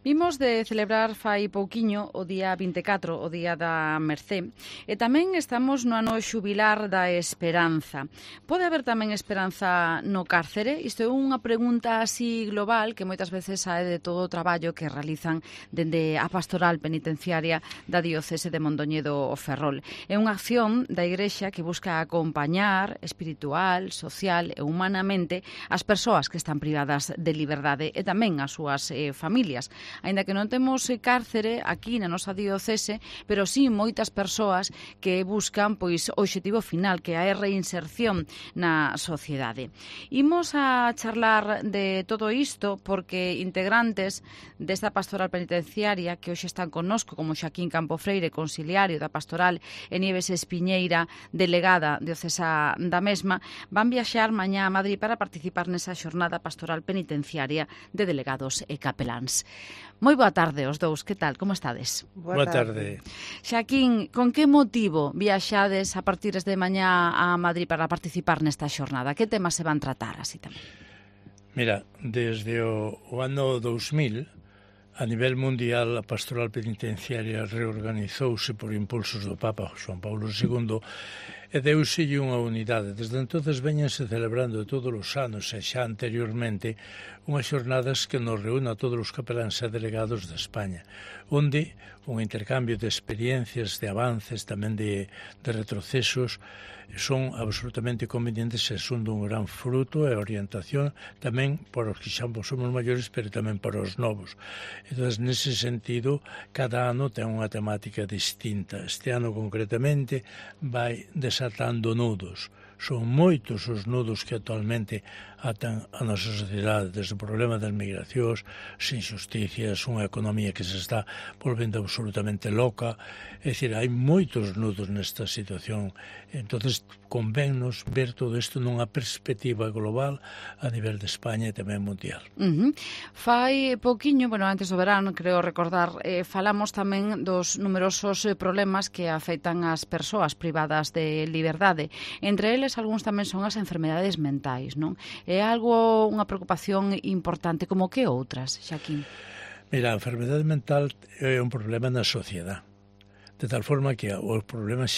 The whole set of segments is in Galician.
Vimos de celebrar fai pouquiño o día 24, o Día da Mercé, e tamén estamos no ano xubilar da esperanza. Pode haber tamén esperanza no cárcere? Isto é unha pregunta así global que moitas veces sae de todo o traballo que realizan dende a pastoral penitenciaria da diocese de Mondoñedo Ferrol. É unha acción da Igrexa que busca acompañar espiritual, social e humanamente as persoas que están privadas de liberdade e tamén as súas familias. Aínda que non temos cárcere aquí na nosa diocese, pero sí moitas persoas que buscan pois o obxectivo final, que é a reinserción na sociedade. Imos a charlar de todo isto porque integrantes desta pastoral penitenciaria que hoxe están connosco, como Xaquín Campofreire, conciliario da pastoral, e Nieves Espiñeira, delegada diocesa da mesma, van viaxar mañá a Madrid para participar nesa xornada pastoral penitenciaria de delegados e capeláns. Moi boa tarde aos dous, que tal, como estades? Boa tarde. Xaquín, con que motivo viaxades a partir de mañá a Madrid para participar nesta xornada? Que temas se van tratar así tamén? Mira, desde o ano 2000, a nivel mundial, a pastoral penitenciaria reorganizouse por impulsos do Papa Juan Paulo II e deuselle unha unidade. Desde entonces veñense celebrando todos os anos e xa anteriormente unhas xornadas que nos reúne a todos os capeláns e delegados de España, onde un intercambio de experiencias, de avances, tamén de retrocesos, son absolutamente convenientes e son dun gran fruto e orientación tamén para os que xa somos maiores, pero tamén para os novos. Entón, nese sentido, cada ano ten unha temática distinta. Este ano, concretamente, vai desatando nudos. Son moitos os nudos que actualmente atan a nosa sociedade, desde o problema das migracións, as injusticias, unha economía que se está volvendo absolutamente loca. É dicir, hai moitos nudos nesta situación. Entonces, convennos ver todo isto nunha perspectiva global a nivel de España e tamén mundial. Fai pouquiño, bueno, antes do verano, creo recordar, falamos tamén dos numerosos problemas que afectan as persoas privadas de liberdade. Entre eles, algúns tamén son as enfermedades mentais, non? É algo, unha preocupación importante, como que outras, Xaquín? Mira, a enfermedade mental é un problema na sociedade, de tal forma que os problemas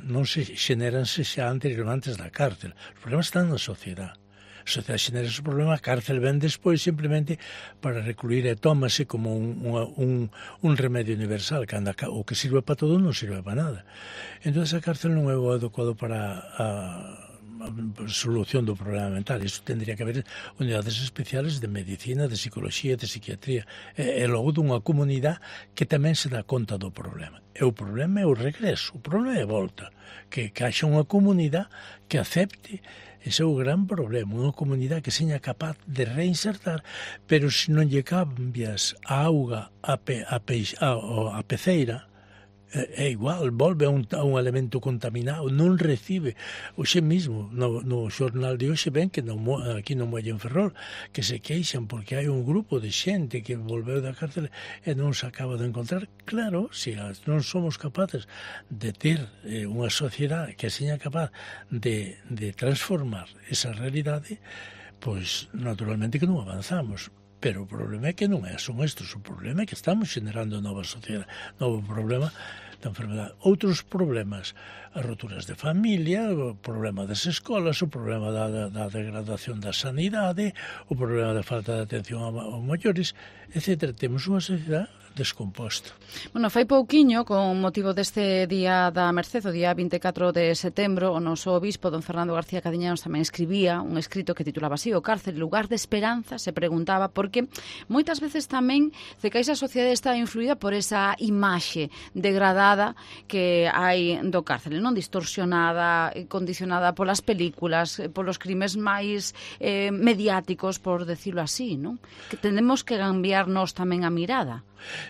non se xeneranse xa antes da cárcel. Os problemas están na sociedade. A sociedade xenera ese problema, a cárcel ven despois simplemente para recluir e tómase como un remedio universal, que o que sirve para todo non sirve para nada. Entón, a cárcel non é o adecuado para a solución do problema mental. Isto tendría que haber unidades especiales de medicina, de psicología, de psiquiatría, e logo dunha comunidade que tamén se dá conta do problema. E o problema é o regreso, o problema é a volta, que haxa unha comunidade que acepte. Ese é o gran problema, unha comunidade que seña capaz de reinsertar, pero se non lle cambias a auga a peceira, é igual, volve a un elemento contaminado, non recibe. Hoxe mesmo, no xornal de hoxe ven que aquí no Muelle en Ferrol, que se queixan porque hai un grupo de xente que volveu da cárcel e non se acaba de encontrar. Claro, se non somos capaces de ter unha sociedade que seña capaz de transformar esa realidade, pois naturalmente que non avanzamos. Pero o problema é que non son estes, o problema é que estamos generando nova sociedade, novo problema da enfermedade. Outros problemas, as roturas de familia, o problema das escolas, o problema da degradación da sanidade, o problema da falta de atención aos maiores, etc. Temos unha sociedade descomposta. Bueno, fai pouquiño, con motivo deste Día da Merced, o día 24 de setembro, o noso obispo, don Fernando García Cadiñanos, tamén escribía un escrito que titulaba así: o cárcel, lugar de esperanza, se preguntaba, porque moitas veces tamén cecais a sociedade está influída por esa imaxe degradada que hai do cárcel, non distorsionada, condicionada polas películas, polos crimes máis mediáticos, por decirlo así, non? Que tenemos que cambiarnos tamén a mirada.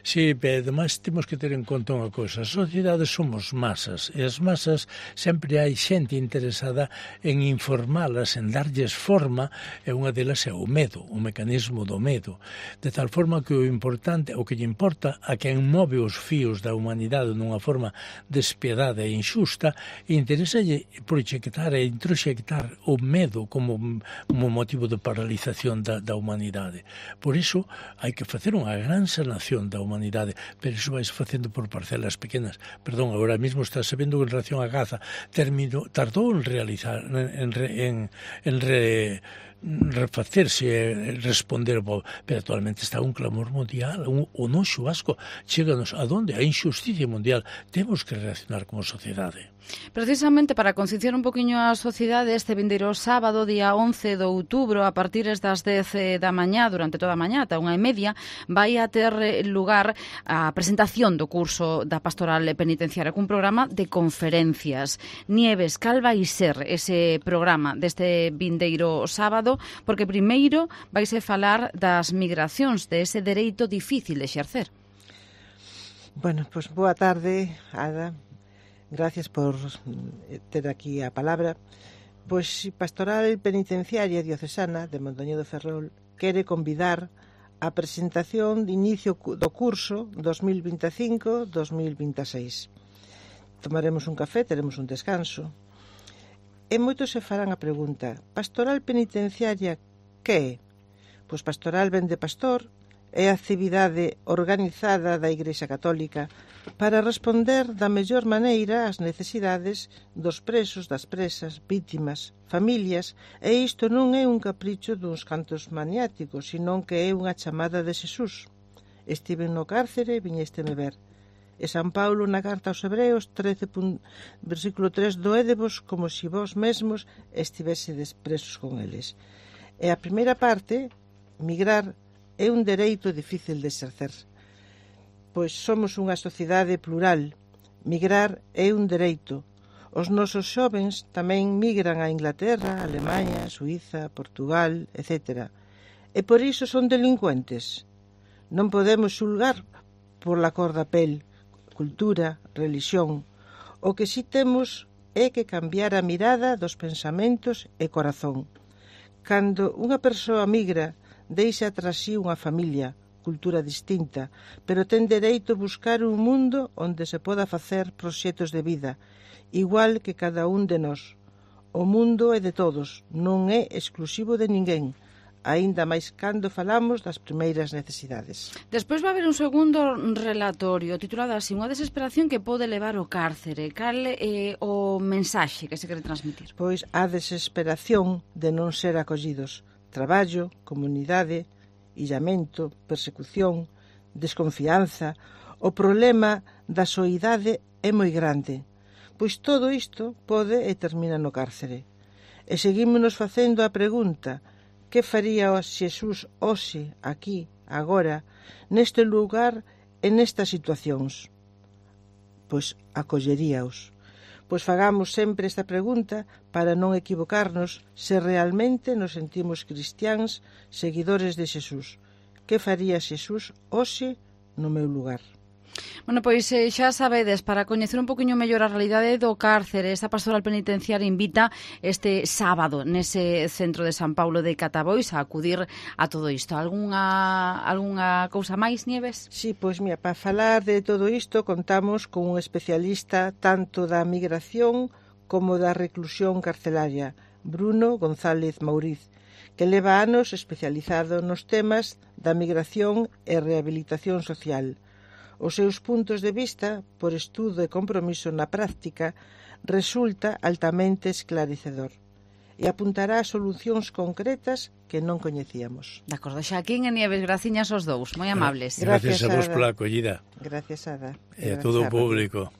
Sí, pero ademais temos que ter en conta unha cousa. As sociedades somos masas, e as masas sempre hai xente interesada en informalas, en darlles forma, e unha delas é o medo, o mecanismo do medo. De tal forma que o importante, o que lle importa a quen move os fíos da humanidade nunha forma despiadada e injusta, interesalle proxectar e introxectar o medo como motivo de paralización da humanidade. Por iso hai que facer unha gran sanación da humanidade, pero iso vais facendo por parcelas pequenas. Perdón, agora mesmo está sabendo en relación a Gaza, tardou en realizar, refacerse e responder, pero actualmente está un clamor mundial, o noxo asco, cheganos a donde? A injusticia mundial. Temos que reaccionar como sociedade. Precisamente para concienciar un poquinho a sociedade, este vindeiro sábado, día 11 de outubro, a partir das 10 da mañá, durante toda a mañá, ata 1:30, vai a ter lugar a presentación do curso da Pastoral Penitenciaria, cun programa de conferencias. Nieves, cal vai ser ese programa deste vindeiro sábado? Porque primeiro vaise falar das migracións, de ese dereito difícil de exercer. Bueno, pois boa tarde, Ada. Gracias por ter aquí a palabra. Pois Pastoral Penitenciaria Diocesana de Mondoñedo Ferrol quere convidar a presentación de inicio do curso 2025-2026. Tomaremos un café, teremos un descanso. E moitos se farán a pregunta: Pastoral Penitenciaria que é? Pois pastoral vén de pastor, é a actividade organizada da Igrexa Católica para responder da mellor maneira ás necesidades dos presos, das presas, vítimas, familias, e isto non é un capricho duns cantos maniáticos, senón que é unha chamada de Xesús. Estiven no cárcere, viñesteme ver. E San Paulo na carta aos Hebreos 13, versículo 3, doédevos como si vós mesmos estivésedes presos con eles. E a primeira parte, migrar, é un dereito difícil de exercer. Pois somos unha sociedade plural. Migrar é un dereito. Os nosos xovens tamén migran a Inglaterra, Alemaña, Suíza, Portugal, etc. E por iso son delincuentes. Non podemos xulgar por la cor da pel, cultura, religión. O que si temos é que cambiar a mirada dos pensamentos e corazón. Cando unha persoa migra, deixa tras si unha familia, cultura distinta, pero ten dereito a buscar un mundo onde se poda facer proxectos de vida, igual que cada un de nós. O mundo é de todos, non é exclusivo de ninguén, aínda máis cando falamos das primeiras necesidades. Despois vai haber un segundo relatorio titulado así: unha desesperación que pode levar ao cárcere. Cal é o mensaxe que se quere transmitir? Pois a desesperación de non ser acollidos. Traballo, comunidade, illamento, persecución, desconfianza. O problema da soidade é moi grande, pois todo isto pode e termina no cárcere. E seguímonos facendo a pregunta: que faría Xesús hoxe, aquí, agora, neste lugar e nestas situacións? Pois acolleríaos. Pois fagamos sempre esta pregunta para non equivocarnos se realmente nos sentimos cristiáns, seguidores de Xesús. Que faría Xesús hoxe no meu lugar? Bueno, pois xa sabedes, para coñecer un poquinho mellor a realidade do cárcere, esta Pastoral Penitenciaria invita este sábado nese centro de San Paulo de Catabois a acudir a todo isto. Algunha cousa máis, Nieves? Sí, pois mira, para falar de todo isto contamos con un especialista tanto da migración como da reclusión carcelaria, Bruno González Mauriz, que leva anos especializado nos temas da migración e rehabilitación social. Os seus puntos de vista, por estudo e compromiso na práctica, resulta altamente esclarecedor e apuntará a solucións concretas que non coñecíamos. De acordo, Xaquín e Nieves, graciñas aos dous, moi amables. Gracias a vos pola acollida. Gracias, Ada. E a todo o público.